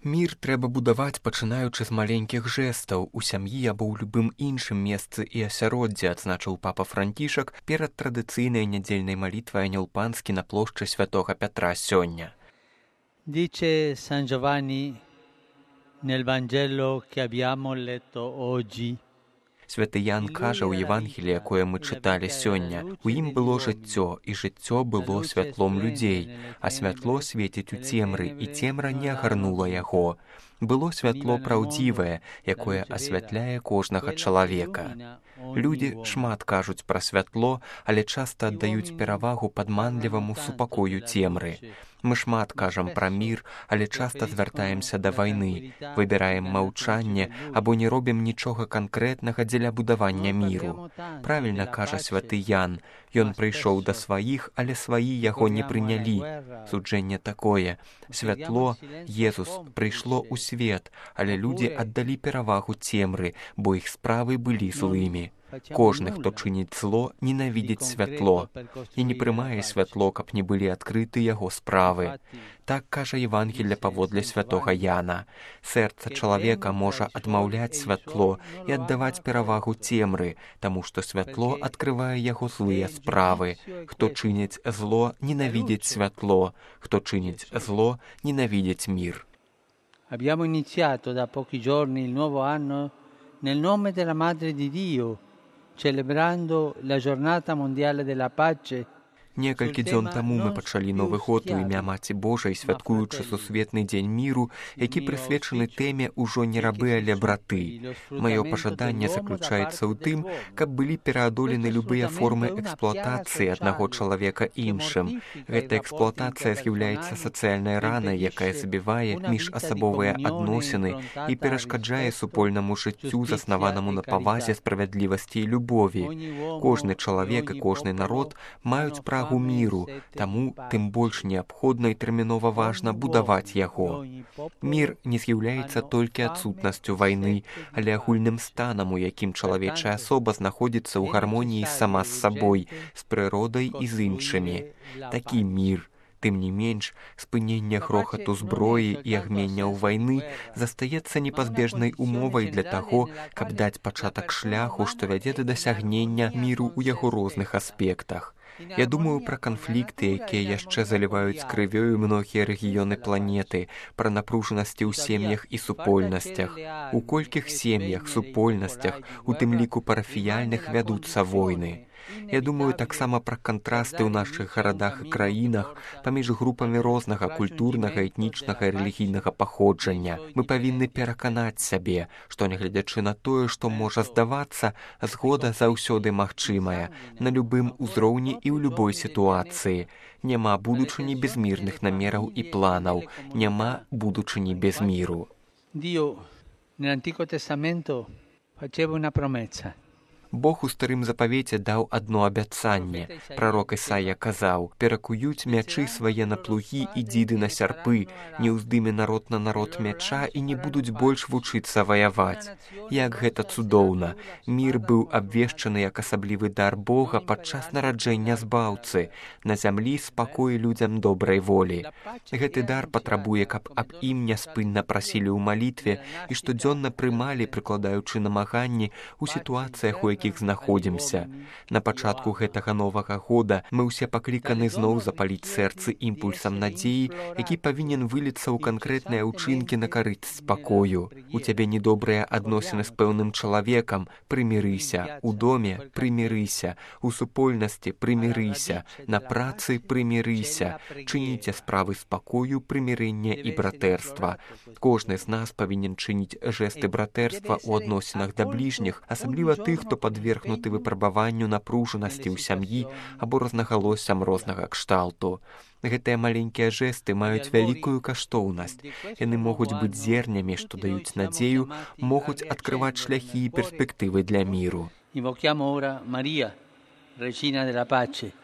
Мір трэба будаваць, пачынаючы з маленькіх жэстаў у сям'і або ў любым іншым месцы і асяроддзі, адзначыў папа Францішак перад традыцыйнай нядзельнай малітвай Анёл Панскі на плошчы Святога Пятра сёння. Dice San Giovanni nel Vangelo che abbiamo letto oggi. Святы Ян кажа ў Евангеліі, якое мы чыталі сёння. У ім было жыццё, і жыццё было святлом людзей, а святло свеціць у цемры, і цемра не агарнула яго. Было святло праўдзівае, якое асвятляе кожнага чалавека. Людзі шмат кажуць пра святло, але часта аддаюць перавагу падманліваму супакою цемры. Мы шмат кажам пра мір, але часта звяртаемся да вайны, выбіраем маўчанне або не робім нічога канкрэтнага дзеля будавання міру. Правільна кажа святы Ян, ён прыйшоў да сваіх, але сваі яго не прынялі. Суджэнне такое: святло, Езус, прыйшло ў свет, але людзі аддалі перавагу цемры, бо іх справы былі злымі. Кожны, хто чыніць зло, ненавідзіць святло і не прымае святло, каб не былі адкрыты яго справы. Так кажа Евангелле паводле святога Яна. Сэрца чалавека можа адмаўляць святло і аддаваць перавагу цемры, таму што святло адкрывае яго злыя справы. Хто чыніць зло, ненавідзіць святло. Хто чыніць зло, ненавідзіць мір. Abbiamo iniziato da pochi giorni il nuovo anno nel nome della Madre di Dio, celebrando la giornata mondiale della pace. Некалькі дзён таму мы пачалі Новы год у імя Маці Божай, святкуючы сусветны дзень міру, які прысвечаны тэме «Ужо не рабы, але браты». Маё пажаданне заключаецца ў тым, каб былі пераадолены любыя формы эксплуатацыі аднаго чалавека іншым. Гэта эксплуатацыя з'яўляецца сацыяльнай ранай, якая забівае міжасабовыя адносіны і перашкаджае супольнаму жыццю, заснаванаму на павазе, справядлівасці і любові. Кожны чалавек і кожны народ маюць прагу міру, таму тым больш неабходна і тэрмінова важна будаваць яго. Мір не з'яўляецца толькі адсутнасцю вайны, але агульным станам, у якім чалавечая асоба знаходзіцца ў гармоніі сама з сабой, з прыродай і з іншымі. Такі мір. Тым не менш, спыненне грохату зброі і агменняў вайны застаецца непазбежнай умовай для таго, каб даць пачатак шляху, што вядзе да дасягнення міру ў яго розных аспектах. Я думаю пра канфлікты, якія яшчэ заліваюць крывёю многія рэгіёны планеты, пра напружанасці ў сем'ях і супольнасцях. У колькіх сем'ях, супольнасцях, у тым ліку парафіяльных, вядуцца войны. Я думаю таксама пра кантрасты ў нашых гарадах і краінах паміж групамі рознага культурнага, этнічнага і рэлігійнага паходжання. Мы павінны пераканаць сябе, што, нягледзячы на тое, што можа здавацца, згода заўсёды магчымая, на любым узроўні і ў любой сітуацыі. Няма будучыні без мірных намераў і планаў, няма будучыні без міру. Dio nell'Antico Testamento faceva una promessa. Бог у старым запавеце даў адно абяцанне. Прарок Ісая казаў: «Перакуюць мячы свае на плугі і дзіды на сярпы, не ўздыме народ на народ мяча і не будуць больш вучыцца ваяваць». Як гэта цудоўна! Мір быў абвешчаны як асаблівы дар Бога падчас нараджэння збаўцы. На зямлі спакой людзям добрай волі. Гэты дар патрабуе, каб аб ім няспынна прасілі ў малітве і штодзённа прымалі, прыкладаючы намаганні ў сітуацыях, у якіх знаходзімся. На пачатку гэтага новага года мы ўсе пакліканы зноў запаліць сэрцы імпульсам надзеі, які павінен выліцца ў канкрэтныя ўчынкі на карысць спакою. У цябе недобрыя адносіны з пэўным чалавекам, прымірыся. У доме прымірыся. У супольнасці прымірыся. На працы прымірыся. Чыніце справы спакою, прымірэння і братэрства. Кожны з нас павінен чыніць жэсты братэрства ў адносінах да бліжніх, асабліва тых, хто падвергнуты выпрабаванню напружанасці ў сям'і або рознагалоссям рознага кшталту. Гэтыя маленькія жэсты маюць вялікую каштоўнасць. Яны могуць быць зернямі, што даюць надзею, могуць адкрываць шляхі і перспектывы для міру. Invochiamo ora Maria, Regina della Pace.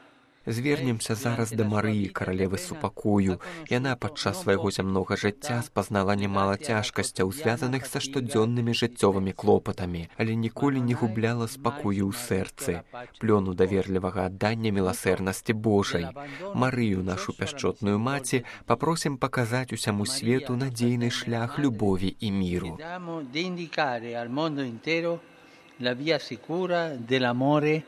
Звернемся зараз да Марыі, каралевы супакою. Яна падчас свайго зямнога жыцця спазнала немала цяжкасцяў, звязаных са штодзённымі жыццёвымі клопатамі, але ніколі не губляла спакою ў сэрцы, плёну даверлівага аддання міласэрнасці Божай. Марыю, нашу пяшчотную маці, папросім паказаць усяму свету надзейны шлях любові і міру. La via sicura dell'amore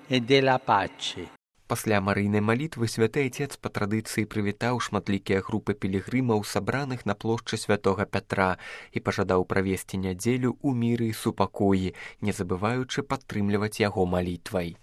e della pace. Пасля марыйнай малітвы святы Айцец па традыцыі прывітаў шматлікія групы пілігрымаў, сабраных на плошчы святога Пятра, і пажадаў правесці нядзелю ў міры і супакоі, не забываючы падтрымліваць яго малітвай.